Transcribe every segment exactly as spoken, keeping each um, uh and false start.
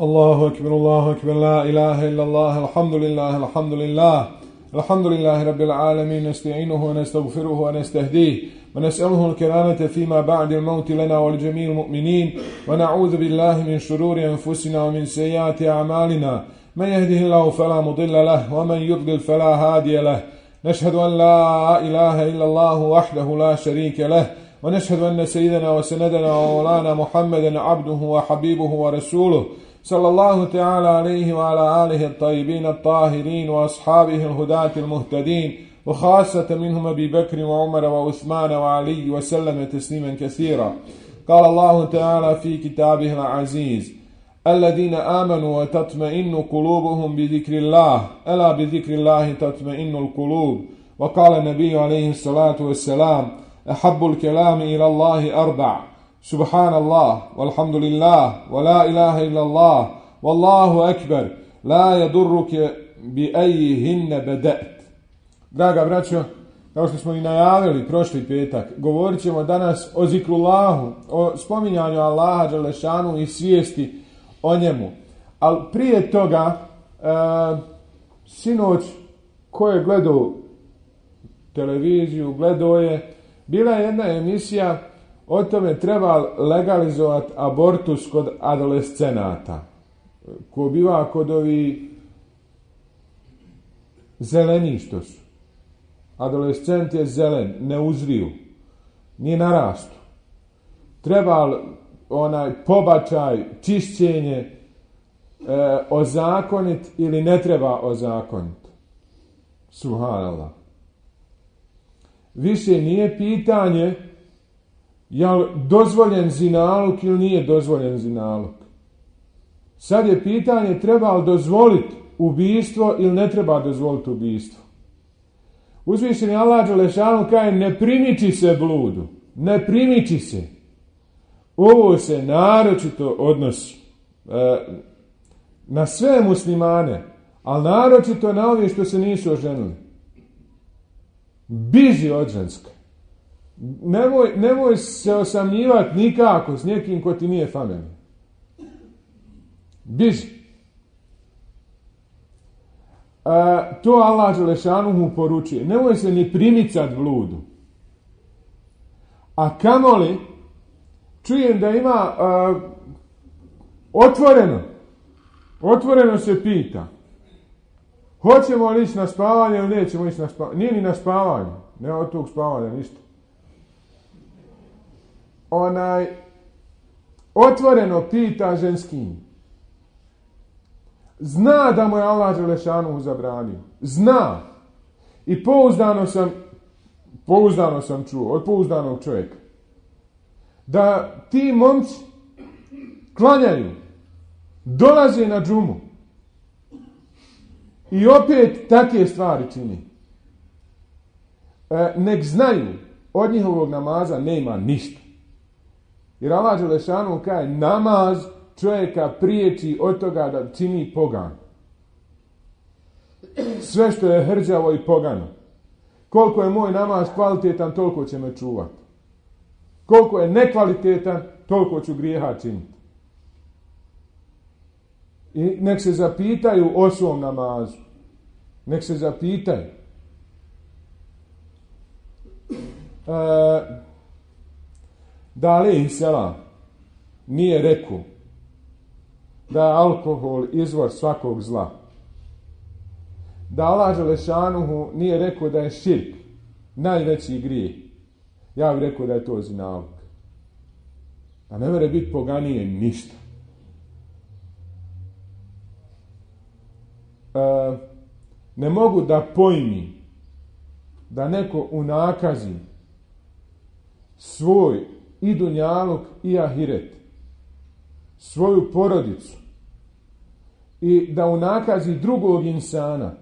Allahu akbar, Allahu akbar, la ilaha illa Allah, alhamdulillah, alhamdulillah, alhamdulillahi rabbil alamin, nasta'inuhu wa nastaghfiruhu wa nastahdihi wa nas'aluhu al-karamata fima ba'da al-maut lana wa li-jami'il mu'minin wa na'udhu billahi min shururi anfusina wa min sayyiati a'malina man yahdihillahu fala mudilla lahu wa man yudlil fala hadiya lahu nashhadu an la ilaha illa Allah wahdahu la sharika lahu wa nashhadu anna sayyidana wa sanadana wa mawlana Muhammadan 'abduhu wa habibuhu wa rasuluhu صلى الله تعالى عليه وعلى آله الطيبين الطاهرين وأصحابه الهداة المهتدين وخاصة منهم أبي بكر وعمر وعثمان وعلي وسلم تسليما كثيرا. قال الله تعالى في كتابه العزيز: الذين آمنوا وتطمئن قلوبهم بذكر الله ألا بذكر الله تطمئن القلوب. وقال النبي عليه الصلاة والسلام: أحب الكلام إلى الله أربع: سبحان الله والحمد لله ولا إله إلا الله والله أكبر لا يضرك بأيهن بدأت. Draga braćo, kao što smo i najavili prošli petak, govorit ćemo danas o zikrullahu, o spominjanju Allaha dželešanu i svijesti o njemu. Ali prije toga, e, sinoć ko je gledao televiziju, gledao je, bila je jedna emisija o tome treba legalizovati abortus kod adolescenata. Ko biva kod ovi zeleni što su. Adolescent je zelen, ne uzriju, nije narastu. Treba onaj pobačaj, čišćenje e, ozakonit ili ne treba ozakonit. Subhanallah. Više nije pitanje je li dozvoljen zinaluk ili nije dozvoljen zinaluk. Sad je pitanje treba li dozvoliti ubijstvo ili ne treba dozvoliti ubijstvo. Uzvišeni Allah dželešanu kaže ne primiči se bludu. Ne primiči se. Ovo se naročito odnosi e, na sve muslimane, ali naročito na ove što se nisu oženili. Biži od ženska. Nemoj, nemoj se osamljivati nikako s nekim ko ti nije familija. Biži. A, to Allah dželešanuhu poručuje. Nemoj se ni primicat bludu. A kamoli, čujem da ima a, otvoreno. Otvoreno se pita. Hoćemo li ići na spavanje ili nećemo ići na spavanje? Nije ni na spavanje. Nema od tog spavanja ništa. Onaj otvoreno pita ženskim. Zna da mu je Allah dželešanu zabranio. Zna. I pouzdano sam pouzdano sam čuo od pouzdanog čovjeka da ti momci klanjaju, dolaze na džumu i opet takve stvari čini. E, nek znaju od njihovog namaza nema ništa. Jer Allah dželešanu kaže namaz čovjeka priječi od toga da čini pogan. Sve što je hrđavo i pogano. Koliko je moj namaz kvalitetan, toliko će me čuvati. Koliko je nekvalitetan, toliko ću grijeha činiti. I nek se zapitaju o svom namazu. Nek se zapitaju. E, da alejhi selam nije rekao da je alkohol izvor svakog zla. Da Allah dželešanuhu nije rekao da je širk najveći grijeh. Ja bih rekao da je to zinaluk. A ne mere biti poganije ništa. E, ne mogu da pojmi da neko unakazi svoj i dunjaluk i ahiret, svoju porodicu i da unakazi drugog insana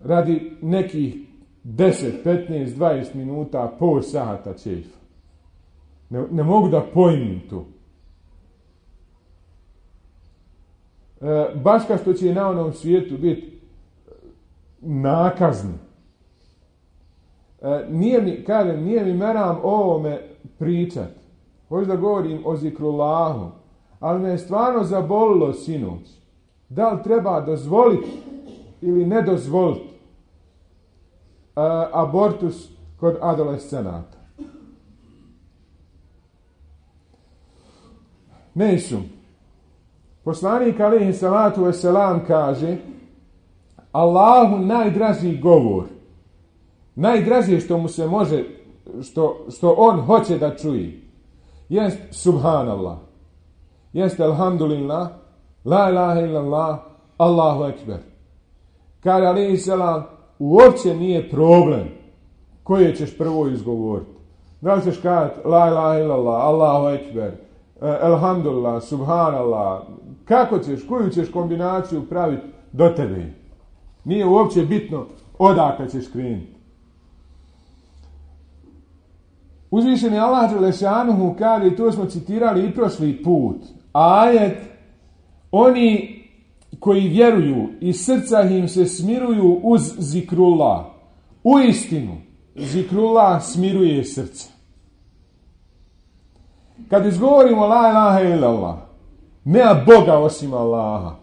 radi nekih deset, petnaest, dvadeset minuta, pol sata čefa. Ne, ne mogu da pojmim to. E, baš kao što će na onom svijetu biti nakazni. E, nije mi, kažem, nije mi meram o ovome pričat. Hoću da govorim o zikrullahu, Ali me je stvarno zabolilo sinoć. Da li treba dozvoliti ili ne dozvoliti uh, abortus kod adolescenata? Nisu. Poslanik alejhi salatu vesselam kaže: Allahu najdraži govor, najdraže što mu se može, što, što on hoće da čuje, jest subhanallah, jest alhamdulillah, la ilaha illallah, Allahu ekber. Kaže alejhi salam, uopće nije problem koje ćeš prvo izgovoriti. Da li ćeš kazati la ilaha illallah, Allahu ekber, alhamdulillah, subhanallah, kako ćeš, koju ćeš kombinaciju praviti do tebe. Nije uopće bitno odakle ćeš krenuti. Uzvišeni Allah dželešanuhu kaže, i to smo citirali i prošli put, ajet, oni koji vjeruju i srca im se smiruju uz zikrullah. U istinu, zikrullah smiruje srce. Kad izgovorimo la ilaha illallah, nema Boga osim Allaha,